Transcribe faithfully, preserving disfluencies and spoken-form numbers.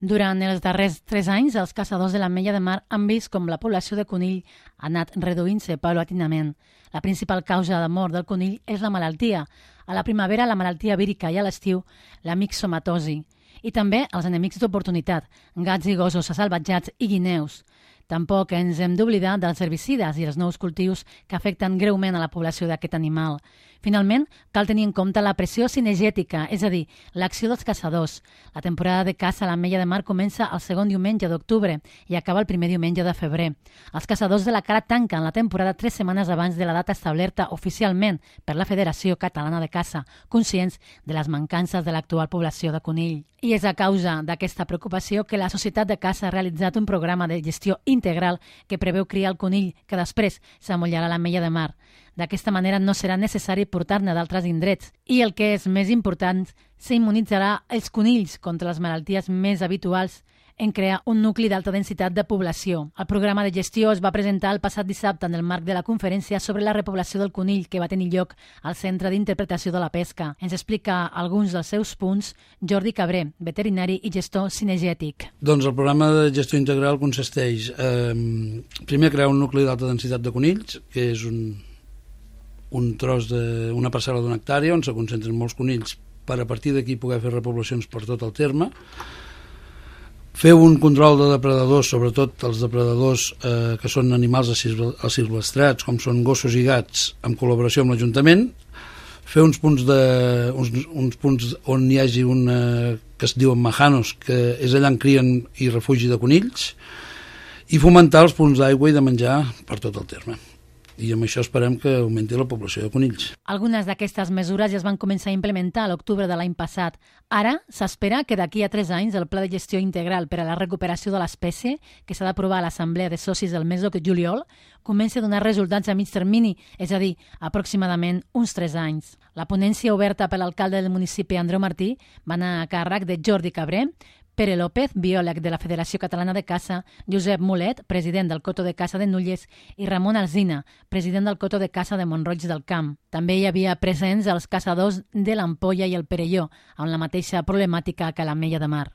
Durant els darrers tres anys, els caçadors de l'Ametlla de Mar han vist com la població de conill ha anat reduint-se paulatinament. La principal causa de mort del conill és la malaltia. A la primavera, la malaltia vírica i a l'estiu, la mixomatosi. I també els enemics d'oportunitat, gats i gossos assalvatjats i guineus. Tampoc ens hem d'oblidar dels herbicides i els nous cultius que afecten greument a la població d'aquest animal. Finalment, cal tenir en compte la pressió cinegètica, és a dir, l'acció dels caçadors. La temporada de caça a l'Ametlla de Mar comença el segon diumenge d'octubre i acaba el primer diumenge de febrer. Els caçadors de la Cara tanquen la temporada tres setmanes abans de la data establerta oficialment per la Federació Catalana de Caça, conscients de les mancances de l'actual població de conill. I és a causa d'aquesta preocupació que la Societat de Caça ha realitzat un programa de gestió integral que preveu criar el conill que després s'amollarà a l'Ametlla de Mar. D'aquesta manera no serà necessari portar-ne d'altres indrets i, el que és més important, s'immunitzarà els conills contra les malalties més habituals en crear un nucli d'alta densitat de població. El programa de gestió es va presentar el passat dissabte en el marc de la conferència sobre la repoblació del conill que va tenir lloc al Centre d'Interpretació de la Pesca. Ens explica alguns dels seus punts Jordi Cabré, veterinari i gestor cinegètic. Doncs el programa de gestió integral consisteix eh, primer crear un nucli d'alta densitat de conills, que és un, un tros de una parcel·la d'una hectàrea on se concentren molts conills per a partir d'aquí poder fer repoblacions per tot el terme. Fer un control de depredadors, sobretot els depredadors eh, que són animals asilvestrats, com són gossos i gats, en col·laboració amb l'Ajuntament. Fer uns punts, de, uns, uns punts on hi hagi una que es diuen majanos, que és allà on crien i refugi de conills, i fomentar els punts d'aigua i de menjar per tot el terme. I amb això esperem que augmenti la població de conills. Algunes d'aquestes mesures ja es van començar a implementar a l'octubre de l'any passat. Ara s'espera que d'aquí a tres anys el Pla de Gestió Integral per a la Recuperació de l'Espècie, que s'ha d'aprovar a l'Assemblea de Socis del mes de juliol, comenci a donar resultats a mig termini, és a dir, aproximadament uns tres anys. La ponència oberta per l'alcalde del municipi, Andreu Martí, va anar a càrrec de Jordi Cabré, Pere López, biòleg de la Federació Catalana de Caça, Josep Mulet, president del Coto de Caça de Nulles, i Ramon Alsina, president del Coto de Caça de Mont-roig del Camp. També hi havia presents els caçadors de l'Ampolla i el Perelló, amb la mateixa problemàtica que a l'Ametlla de Mar.